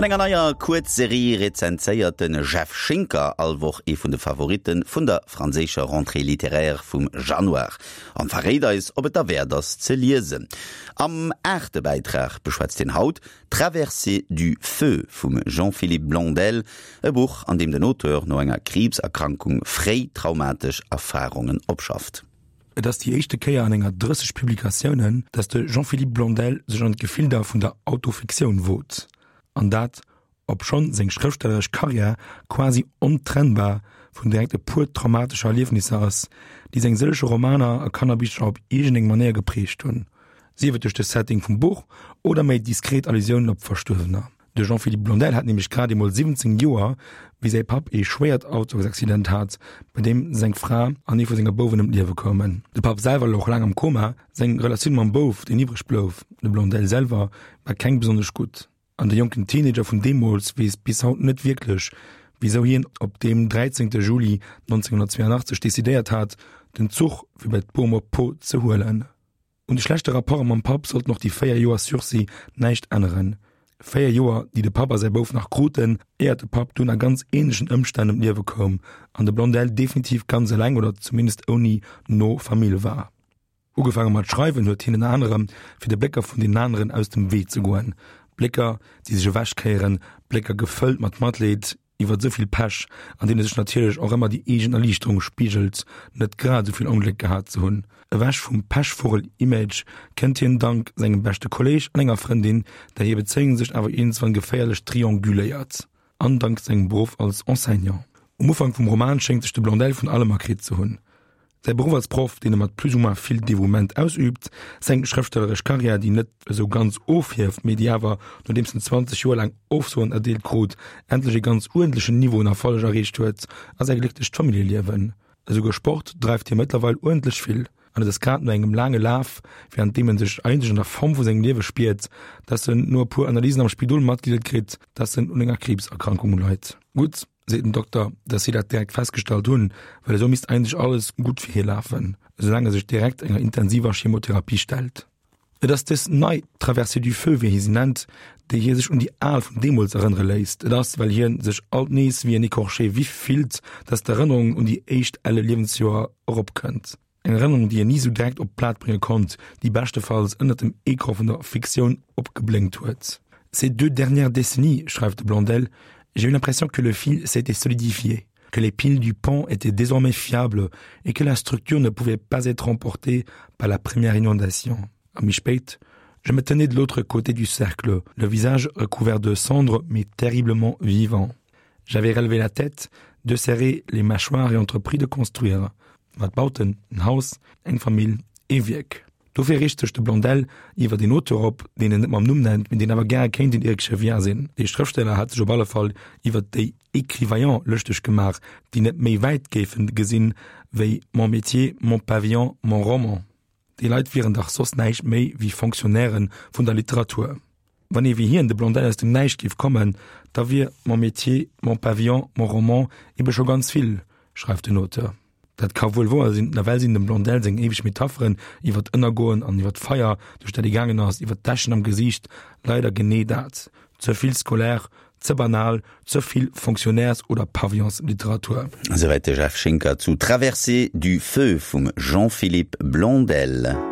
An enger neier Kuerzserie rezenséiert de Jeff Schinker all Woch ee vun de Favoritte vun der franséischer Rentrée littéraire vum Januar an verréit eis, ob et derwäert ass ze liesen. Am aachte Bäitrag beschwätzt hien haut Traversée du feu vum Jean-Philippe Blondel, e Buch, an deem den Auteur no enger Kriibserkrankung fréi traumatesch Erfarungen opschafft. Et ass déi éischte Kéier an enger 30 Publikatiounen, datt de Jean-Philippe Blondel sech an d'Gefilder vun der Autofiktioun wot. An dat, obschonn seng schrëftstelleresch Karriär quasi ontrennbar vun direkt e puer traumatescher Erliefnisser ass, déi seng sëllege Romaner a Kannerbicher op iergendeng Manéier geprägt hunn. Sief et duerch de Setting vum Buch oder méi diskret Allusiounen op Verstuerwener. De Jean-Philippe Blondel hat nämlech grad eemol 17 Joer, wéi säi Papp ee schwéiert Autosaccident hat, bei deem seng Fra an ee vu senge Bouwen ëm d'Liewe koumen. De Papp selwer louch laang am Koma. Seng Relatioun mam Bouf, deen iwwreg blouf, de Blondel selwer, war keng besonnesch gutt. An de jonken Teenager vun deemools weess bis haut net wierklech, wisou hien op deem 13. Juli 1982 decidéiert hat, den Zuch fir bei d'Bom op Pau ze huelen. Un de schlechte Rapporte mam Papp sollten och déi 4 Joer Sursis näischt änneren. 4 Joer, déi de Papp a säi Bouf nach kruten, éiert de Papp dunn a ganz änlechen Ëmstänn ëm d'Liewe koum an de Blondel definitiv ganz eleng oder zumindest ouni no Famill war. Ugefaange mat schreiwen huet hien ënner anerem, fir de Blécker vun deenen aneren aus dem Wee ze goen. Blécker, déi sech ewechkéieren, Blécker gefëllt mat Matleed iwwer esou vill Pech, an deene sech natierlech och ëmmer déi eegen Erliichterung spigelt, net grad esou vill Ongléck gehat ze hunn. Ewech vum Pechvugel-Image kënnt hien dank sengem beschte Kolleeg an enger Frëndin, där hir Bezéiung sech awer iergendswann geféierlech trianguléiert, an dank sengem Beruff als Enseignant. Um Ufank vum Roman schéngt sech de Blondel vun allem erkritt ze hunn. Säi Beruff als Proff, deen e mat plus ou moins vill Devouement ausüübt, seng schrëftstelleresch Karriär, déi net esou ganz ofhieft, mee déi awer, nodeems en 20 Joer laang Ofsoen erdeelt krut, endlech e ganz uerdentlechen Niveau un Erfolleg erreecht huet, a säi glécklecht Familljeliewen. Esouguer Sport dreift hie mëttlerweil uerdentlech vill, an et ass grad no engem laange Laf, wärend deem en sech eigentlech an der Form vu sengem Liewe spiert, dass en no e puer Analysen am Spidol matgedeelt kritt, dass en un enger Kriibserkrankung leit. Gutt, seet den Dokter, dass si dat direkt festgestallt hunn, well esou misst eigentlech alles gutt fir hie lafen, esoulaang e sech direkt enger intensiver Chemotherapie stellt. Et ass dës nei Traversée du feu, wéi hie se nennt, déi hie sech un déi al vun deemools erënnere léisst. Et ass, well hie sech alt nees wéi en Écorché vif fillt, dass d'Erënnerung un déi éischt elle Liewensjoer eropkënnt. Eng Erënnerung, déi en ni sou direkt op d'Plaz brénge konnt, déi beschtefalls ënnert dem Ecran vun der Fiktioun opgeblénkt huet. Ces deux dernières décennies, schreift de Blondel, j'ai eu l'impression que le fil s'était solidifié, que les piles du pont étaient désormais fiables et que la structure ne pouvait pas être emportée par la première inondation. A méi spéit, Je me tenais de l'autre côté du cercle, le visage recouvert de cendres mais terriblement vivant. J'avais relevé la tête, desserré les mâchoires et entrepris de construire. Wat baut en? En Haus, eng Famill, ee Wierk. Dofir reegt sech de Blondel iwwer een Auteur op, deen en net mam Numm nennt, mee deen awer gäre kéint en Eric Chevien sinn. Dee Schrëftsteller hat sech op alle Fall iwwer déi Écrivaillants lëschteg gemaach, déi net méi wäit géifen gesinn wéi Mon métier, mon pavillon, mon roman. Déi Leit wieren dach soss näischt méi wéi Fonctionnairen vun der Literatur. Wann ee wéi hien, de Blondel, aus dem Näischt géif kommen, da wier Mon métier, mon pavillon, mon roman ebe scho ganz vill, schreift den Auteur. Dat ka wuel wouer sinn, nawell sinn dem Blondel seng éiweg Metapheren iwwer d'Ënnergoen an iwwer d'Feier, duerch dat ee gaangen ass, iwwer d'Äschen am Gesiicht, leider genee dat, ze vill scolaire, Ze banal, ze vill Fonctionnaires oder Pavillonsliteratur. Esouwäit de Jeff Schinker zu Traversée du feu vum Jean-Philippe Blondel.